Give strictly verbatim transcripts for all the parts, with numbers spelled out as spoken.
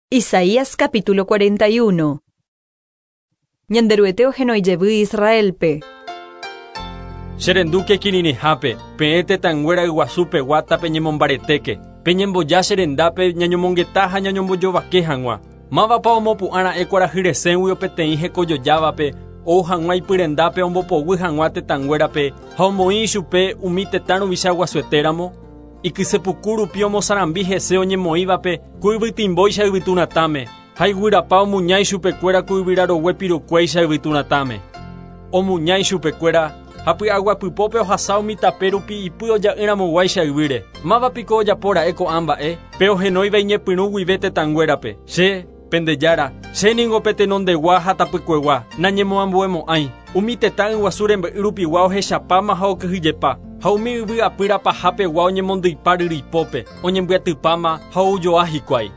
Isaías capítulo cuarenta y uno. Ñanderuete ohenói Israelpe. Cherenduke kiririhápe, peẽ tetãnguéra yguasúpe guátape ñemombaretéke, peñemboja cherendápe ñañomongeta ha ñañombojovake hag̃ua. Mávapa omopu'ãra'e kuarahyresẽgui peteĩ hekojojávape, ou hag̃ua ipyrendápe ombopoguy hag̃ua tetãnguérape ha omoĩ ichupe umi tetã ruvicha guasuetéramo. Ikysepuku rupi omosarambi hese oñemoĩvape ku yvytimbóicha yvyturatãme, ha iguyrapa omuña ichupekuéra ku yvyrarogue pirukuéicha yvyturatãme. Omuña ichupekuéra ha py'aguapypópe ohasa umi tape rupi ipy oja'ỹramoguáicha yvýre. Mávapiko ojapóra'e ko'ã mba'e, pe ohenóiva iñepyrũ guive tetãnguérape. Che, pendejára, che ningo pe tenondegua ha tapykuegua, nañemoambuemo'ãi. Umi tetã yguasu rembe'y rupigua ohechapáma ha okyhyjepa, ha umi yvy apýra pahápegua oñemondýipa ryryipópe, oñembyatypáma ha oujoa hikuái.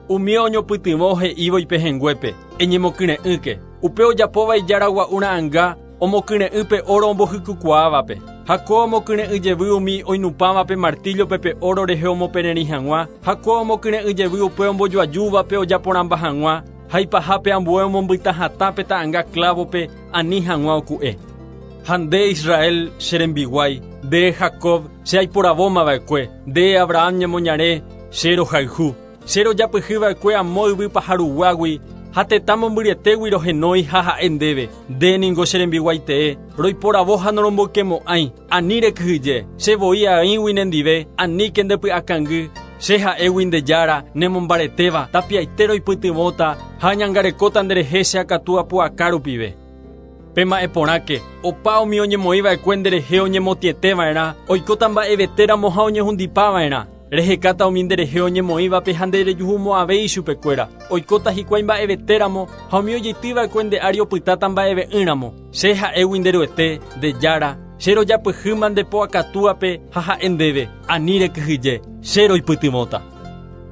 Umi oñopytyvõ he'ívo ipehẽnguépe, eñemokyre'ỹke. Upe ojapóva ijaragua'u ra'ãnga, omokyre'ỹ pe oro ombohykukuaávape. Ha ko omokyre'ỹ jevy umi oinupãvape martillope pe oro rehe omopererĩ hag̃ua, ha ko omokyre'ỹ jevy upe ombojoajúvape ojaporãmba hag̃ua, ha ipahápe ambue omombyta hatã pe ta'ãnga clavope ani hag̃ua oku'e. Ha nde Israel che rembiguái, nde Jacob che aiporavómava'ekue, nde Abraham ñemoñare che rohayhu. Che rojapyhyva'ekue amo yvy paharuguágui, ha tetã mombyryetégui rohenói ha ha'e ndéve. Nde ningo che rembiguaitee, roiporavo ha noromboykemo'ãi, ani rekyhyje, che voi aĩgui nendive, aníke ndepy'akangy, che ha'égui nde jára, nemombaretéva, tapiaite roipytyvõta ha añangarekóta nderehe che akatu apu'aka rupive. Pema'ẽ porãke, opa umi oñemoĩva'ekue nderehe oñemotĩeteva'erã, oikóta mba'evetéramo ha oñehundipava'erã. Rehekáta umi nderehe oñemoĩvape ha nderejuhumo'ãvéi ichupekuéra. Oikóta hikuái mba'evetéramo ha umi ojeitýva'ekue nde ári opytáta mba'eve'ỹramo. Che ha'égui nderuete, nde jára, che rojapyhýma nde po akatúape ha ha'e ndéve, ani rekyhyje, che roipytyvõta.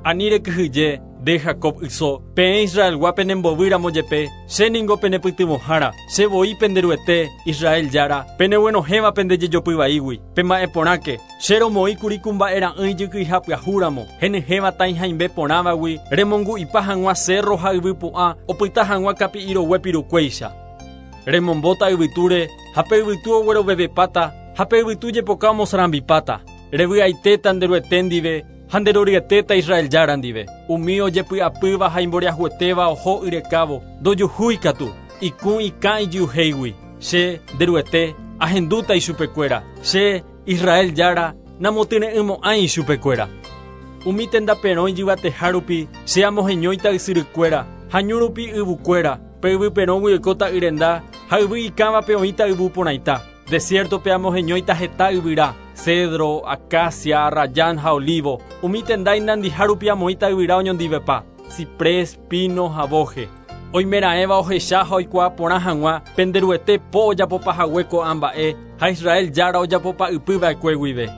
Ani rekyhyje, nde Jacob yso, peẽ Israelgua penembovýramo jepe, che ningo penepytyvõhára, che voi penderuete, Israel jára, peneguenohẽva pendejejopyvaígui. Pema'ẽ porãke, che romoĩkuri ku mba'era'ỹi jykyiha pyahúramo, henyhẽva tãihaimbe porãvagui, remongu'ipa hag̃ua cerro ha yvypu'ã, opyta hag̃ua kapi'irogue pirukuéicha. Remombóta yvytúre, ha pe yvytu oguerovevepáta, ha pe yvytu jepoka omosarambipáta. Revy'aitéta nderuete ndive, ha nderoryetéta Israel jára ndive. Umi ojepy'apýva ha imboriahuetéva oho yrekávo, ndojuhúi katu, ikũ ikã ijyuhéigui. Che, nderuete, ahendúta ichupekuéra. Che, Israel jára, namotyre'ỹmo'ãi ichupekuéra. Umi tendaperõ ijyvateha rupi, che amoheñóita ysyrykuéra, ha ñu rupi yvukuéra, pe yvyperõgui oikóta yrenda, ha yvy ikãvape oĩta yvu porãita. Desiertope amoheñóita heta yvyra, cedro, acacia, arrayán ha olivo. Umi tenda inandiha rupi amoĩta yvyra oñondivepa, ciprés, pino ha boje. Oimeraẽva ohecha ha oikuaa porã hag̃ua, penderuete po ojapopahague ko'ã mba'e, ha Israel jára ojapopa ypyva'ekue guive.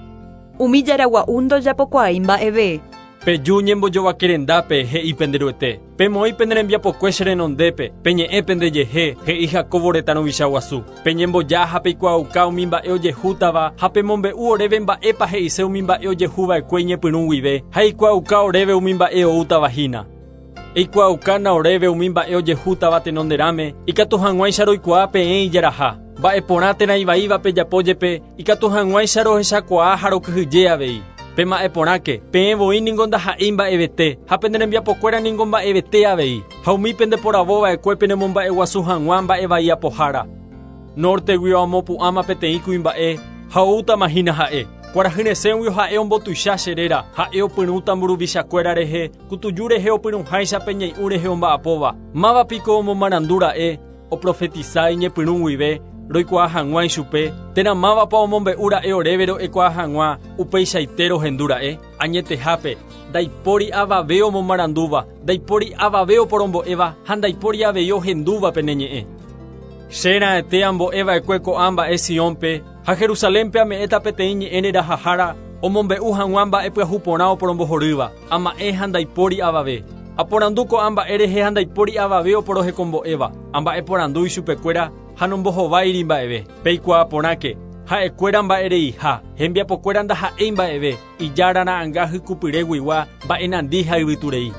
Umi jaragua'u ndojapokuaái mba'eve. Peju ñembojovakerendápe he'i penderuete. Pemoĩ pene rembiapokue che renondépe, peñe'ẽ pendejehe, he'i Jacobo retã ruvicha guasu. Peñemboja ha peikuaauka umi mba'e ojehútava ha pemombe'u oréve mba'épa he'ise umi mba'e ojehuva'ekue iñepyrũ guive, ha eikuaauka oréve umi mba'e oútava hína. Eikuaaukana oréve umi mba'e ojehútava tenonderãme, ikatu hag̃uáicha roikuaa peẽ ijaraha. Mba'e porã térã ivaíva pejapo jepe, ikatu hag̃uáicha rohechakuaa ha rokyhyje avei. Pema'ẽ porãke, peẽ voi ningo ndaha'éi mba'evete, ha pene rembiapokuéra ningo mba'evete avei, ha umi pendeporavóva'ekue penemomba'eguasu hag̃ua mba'evai apohára. Norteguio amopu'ãma peteĩ kuimba'e, ha oútama hína ha'e. Kuarahyresẽguio ha'e ombotuicha che réra, ha'e opyrũta mburuvichakuéra rehe, kutuju rehe opyrũháicha pe ñai'ũ rehe omba'apóva. Mávapiko omomarandúra'e, oprofetisa iñepyrũ guive, roikuaa hag̃ua ichupe, térã mávapa omombe'úra'e oréve ro'ekuaa hag̃ua, upeichaite rohendúra'e. Añetehápe, ndaipóri avave omomarandúva, ndaipóri avave oporombo'éva ha ndaipóri avei ohendúva pene ñe'ẽ. Che raẽte ambo'eva'ekue ko'ã mba'e Siónpe, ha Jerusalénpe ame'ẽta peteĩ ñe'ẽ rerahahára, omombe'u hag̃ua mba'e pyahu porã oporombohorýva, ama'ẽ ha ndaipóri avave. Aporandu ko'ã mba'e rehe ha ndaipóri avave oporohekombo'éva, amba'eporandu ichupekuéra ha nombohováiri mba'eve. Peikuaa porãke, ha'ekuéra mba'ereiha, hembiapokuéra ndaha'éi mba'eve, ijára ra'ãnga hykupyreguigua mba'enandi ha yvyturei.